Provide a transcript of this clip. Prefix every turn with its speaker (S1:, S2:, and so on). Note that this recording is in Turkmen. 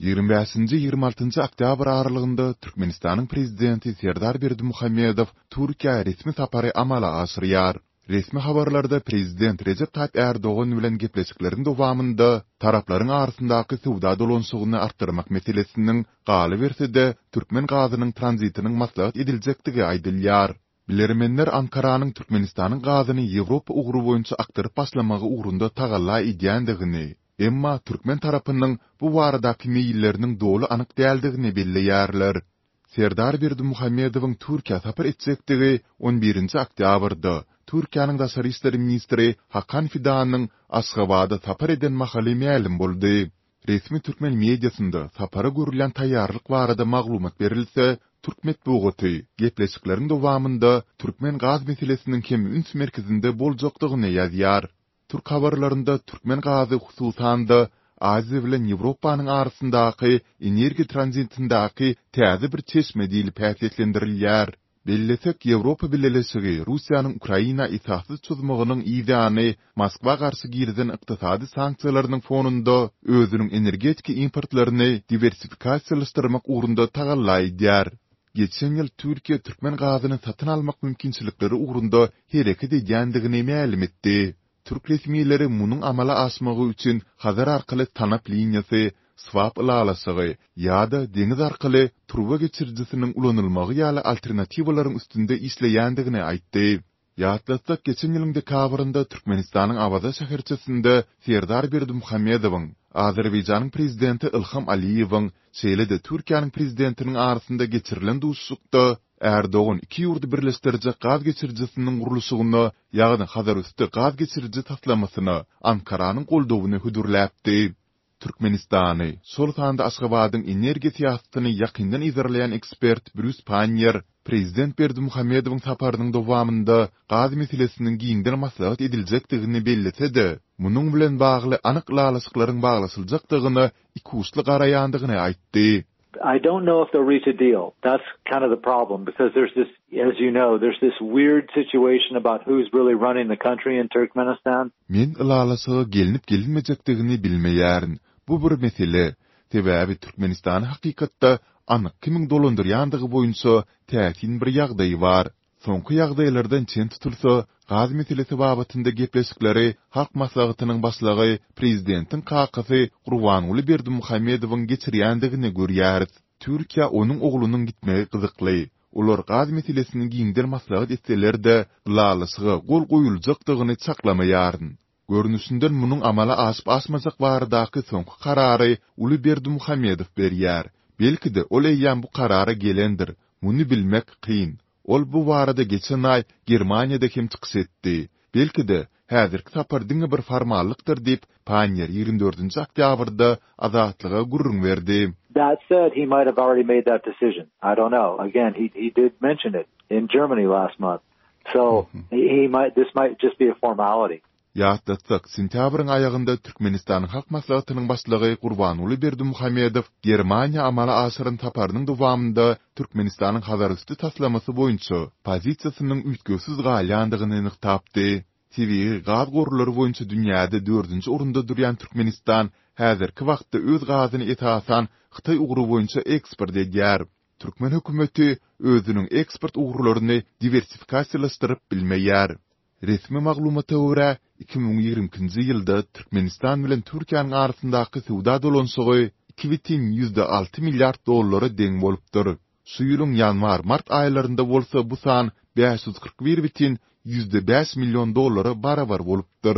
S1: Ýigrimi bäşinji, 26-njy oktýabr aralygynda Türkmenistanyň Prezidenti Serdar Berdimuhamedow Türkiýä resmi sapary amala aşyrýar. Resmi habarlarda prezident Rejep Taýyp Ärdogan bilen gepleşikleriň dowamynda taraplaryň arasyndaky söwda dolanyşygyny artdyrmak meselesiniň, galyberse-de, türkmen gazynyň tranzitiniň maslahat ediljekdigi aýdylýar. Bilermenler Ankaranyň Türkmenistanyň gazyny Ýewropa ugry boýunça akdyryp başlamagy ugrunda tagalla edýändigini, emma türkmen tarapynyň bu baradaky meýilleriniň doly anyk däldigini belleýärler. Serdar Berdimuhamedowyň Türkiýä sapar etjekdigi on birinji oktýabrda, Türkiýäniň daşary işler ministri Hakan Fidanyň Aşgabada sapar eden mahaly mälim boldy. Resmi türkmen mediasynda sapara görülýän taýýarlyk barada maglumat berilse, türk metbugaty gepleşikleriň dowamynda türkmen gaz meselesiniň hem üns merkezinde boljakdygyny ýazýar. Türk habarlarynda türkmen gazy hususan-da Aziýa bilen Ýewropanyň arasyndaky energiýa tranzitindäki täze bir çeşme diýlip häsiýetlendirilýär. Bellesek, Ýewropa Bileleşigi Russiýanyň Ukraina esassyz çozmagynyň yzýany Moskwa garşy girizen ykdysady sanksiýalarynyň fonunda özüniň energetika importlaryny diwersifikasiýalaşdyrmak ugrunda tagalla edýär. Geçen ýyl Türkiýe türkmen gazyny satyn almak mümkinçilikleri ugrunda hereket edýändigini mälim etdi. Türk resmileri munuň amala aşmagy üçin Hazar arkaly tanap liniýasy, swap ylalaşygy ýa-da deňiz arkaly turba geçirijisiniň ulanylmagy ýaly alternatiwalaryň üstünde işleýändigini aýtdy. Ýatlatsak, geçen ýylyň dekabrynda Türkmenistanyň Awaza şäherçesinde Serdar Berdimuhamedowyň, Azerbaýjanyň Prezidenti Ilham Aliýewiň, şeýle-de Türkiýäniň Prezidentiniň arasynda geçirilen duşuşykda Ärdogan iki ýurdy birleşdirjek gaz geçirijisiniň gurluşygyna, ýagny Hazarüsti gaz geçiriji taslamasyna Ankaranyň goldawyny hödürläpdi. Türkmenistany, şol sanda Aşgabadyň energiýa syýasatyny ýakyndan yzarlaýan ekspert Brýus Panniýer prezident Berdimuhamedowyň saparynyň dowamynda gaz meselesiniň giňden maslahat ediljekdigini bellese-de, munuň bilen bagly anyk ylalaşyklaryň baglaşyljakdygyna ikuçly garaýandygyny aýtdy.
S2: I don't know if they'll reach a deal. That's kind of the problem because there's this, as you know, there's this weird situation about who's really running the country in Turkmenistan.
S1: Men ylalaşyga gelnip-gelinmejekdigini bilmeýärin. Bu bir mesele. Sebäbi Türkmenistany hakykatda anyk kimiň dolandyrýandygy boýunça täsin bir ýagdaý bar. Soňky ýagdaýlardan çen tutulsa, gaz meselesi babatynda gepleşikleri Halk Maslahatynyň Başlygy, prezidentiň kakasy Gurbanguly Berdimuhamedowyň geçirýändigini görýäris. Türkiýä onuň oglunyň gitmegi gyzykly. Olar gaz meselesini giňden maslahat etseler-de, ylalaşyga gol goýuljakdygyny çaklamaýaryn. Görnüşinden munuň amala aşyp-aşmajak baradaky soňky karary uly Berdimuhamedow berýär. Belki-de, ol eýýäm bu karara gelendir. Muny bilmek kyn. Ol bu barada geçen aý Germaniýada hem çykyş etdi. Belki-de, häzirki sapar diňe bir formallykdyr diýip, Panniýer 24-nji oktýabrda Azatlyga gürrüň berdi.
S2: That said, he might have already made that decision. I don't know. Again, he he did mention it in Germany last month. So, he might this might just be a formality.
S1: Ýatlatsak, sentýabryň aýagynda Türkmenistanyň Halk Maslahatynyň Başlygy Gurbanguly Berdimuhamedow Germaniýa amala aşyran saparynyň dowamynda Türkmenistanyň Hazarüsti taslamasy boýunça pozisiýasynyň üýtgewsiz galýandygyny nygtapdy. Tebigy gaz gorlary boýunça dünýäde dördünji orunda durýan Türkmenistan häzirki wagtda öz gazyny esasan Hytaý ugry boýunça eksport edýär. Türkmen hökümeti özüniň eksport ugurlaryny diwersifikasiýalaşdyryp bilmeýär. Resmi maglumata görä, 2022-nji ýylda Türkmenistan bilen Türkiýäniň arasyndaky söwda dolanyşygy 2,6 milliard dollara deň bolupdyr. Şu ýylyň ýanwar-mart aýlarynda bolsa bu san 541,5 million dollara barabar bolupdyr.